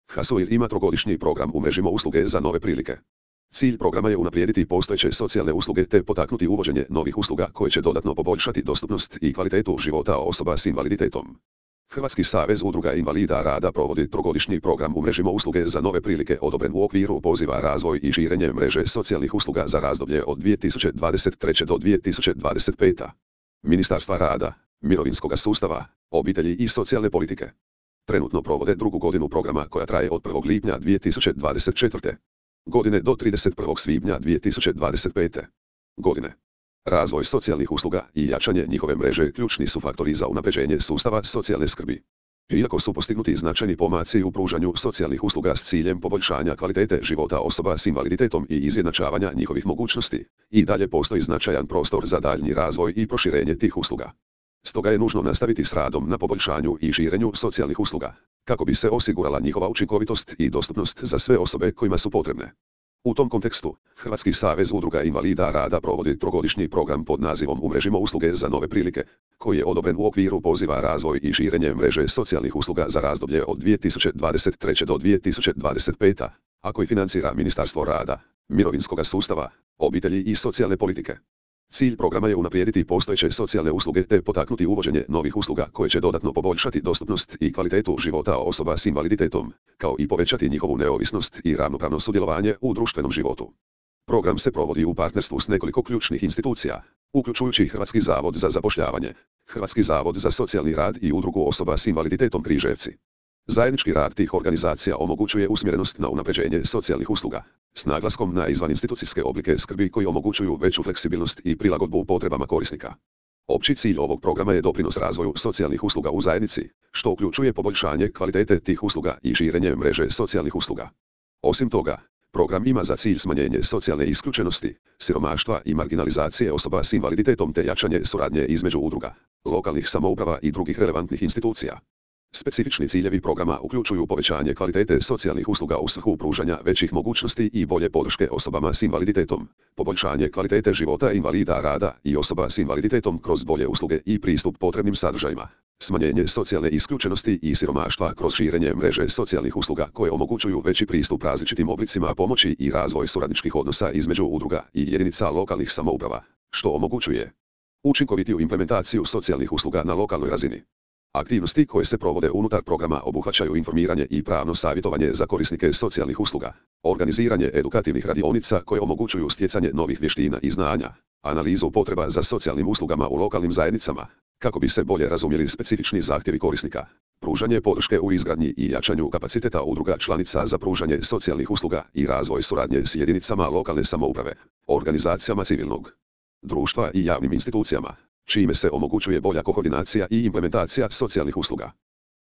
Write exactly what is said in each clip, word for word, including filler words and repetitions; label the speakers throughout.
Speaker 1: Hasuir ima trogodišnji program umrežimo usluge za nove prilike. Cilj programa je unaprijediti postojeće socijalne usluge te potaknuti uvođenje novih usluga koje će dodatno poboljšati dostupnost i kvalitetu života osoba s invaliditetom. Hrvatski savez udruga invalida rada provodi trogodišnji program umrežimo usluge za nove prilike odobren u okviru poziva razvoj i širenje mreže socijalnih usluga za razdoblje od dvije tisuće dvadeset treće do dvije tisuće dvadeset pete. Ministarstva rada, mirovinskog sustava, obitelji i socijalne politike. Trenutno provode drugu godinu programa koja traje od prvog lipnja dvije tisuće dvadeset četvrte. godine do trideset prvog svibnja dvije tisuće dvadeset pete. godine. Razvoj socijalnih usluga i jačanje njihove mreže ključni su faktori za unapređenje sustava socijalne skrbi. Iako su postignuti značajni pomaci u pružanju socijalnih usluga s ciljem poboljšanja kvalitete života osoba s invaliditetom i izjednačavanja njihovih mogućnosti, i dalje postoji značajan prostor za daljnji razvoj i proširenje tih usluga. Stoga je nužno nastaviti s radom na poboljšanju i širenju socijalnih usluga, kako bi se osigurala njihova učinkovitost i dostupnost za sve osobe kojima su potrebne. U tom kontekstu, Hrvatski savez udruga invalida rada provodi trogodišnji program pod nazivom Umrežimo usluge za nove prilike, koji je odobren u okviru poziva razvoj i širenje mreže socijalnih usluga za razdoblje od dvije tisuće dvadeset treće do dvije tisuće dvadeset pete, a koji financira Ministarstvo rada, mirovinskog sustava, obitelji i socijalne politike. Cilj programa je unaprijediti postojeće socijalne usluge te potaknuti uvođenje novih usluga koje će dodatno poboljšati dostupnost i kvalitetu života osoba s invaliditetom, kao i povećati njihovu neovisnost i ravnopravno sudjelovanje u društvenom životu. Program se provodi u partnerstvu s nekoliko ključnih institucija, uključujući Hrvatski zavod za zapošljavanje, Hrvatski zavod za socijalni rad i Udrugu osoba s invaliditetom Križevci. Zajednički rad tih organizacija omogućuje usmjerenost na unapređenje socijalnih usluga, s naglaskom na izvaninstitucijske oblike skrbi koji omogućuju veću fleksibilnost i prilagodbu potrebama korisnika. Opći cilj ovog programa je doprinos razvoju socijalnih usluga u zajednici, što uključuje poboljšanje kvalitete tih usluga i širenje mreže socijalnih usluga. Osim toga, program ima za cilj smanjenje socijalne isključenosti, siromaštva i marginalizacije osoba s invaliditetom te jačanje suradnje između udruga, lokalnih samouprava i drugih relevantnih institucija. Specifični ciljevi programa uključuju povećanje kvalitete socijalnih usluga u svrhu pružanja većih mogućnosti i bolje podrške osobama s invaliditetom, poboljšanje kvalitete života invalida rada i osoba s invaliditetom kroz bolje usluge i pristup potrebnim sadržajima, smanjenje socijalne isključenosti i siromaštva kroz širenje mreže socijalnih usluga koje omogućuju veći pristup različitim oblicima pomoći i razvoj suradničkih odnosa između udruga i jedinica lokalnih samouprava, što omogućuje učinkovitiju implementaciju socijalnih usluga na lokalnoj razini. Aktivnosti koje se provode unutar programa obuhvaćaju informiranje i pravno savjetovanje za korisnike socijalnih usluga, organiziranje edukativnih radionica koje omogućuju stjecanje novih vještina i znanja, analizu potreba za socijalnim uslugama u lokalnim zajednicama, kako bi se bolje razumjeli specifični zahtjevi korisnika, pružanje podrške u izgradnji i jačanju kapaciteta udruga članica za pružanje socijalnih usluga i razvoj suradnje s jedinicama lokalne samouprave, organizacijama civilnog društva i javnim institucijama, čime se omogućuje bolja koordinacija i implementacija socijalnih usluga.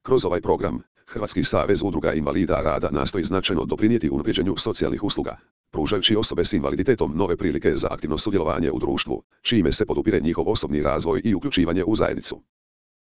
Speaker 1: Kroz ovaj program, Hrvatski savez udruga invalida rada nastoji značajno doprinijeti unapređenju socijalnih usluga, pružajući osobe s invaliditetom nove prilike za aktivno sudjelovanje u društvu, čime se podupire njihov osobni razvoj i uključivanje u zajednicu.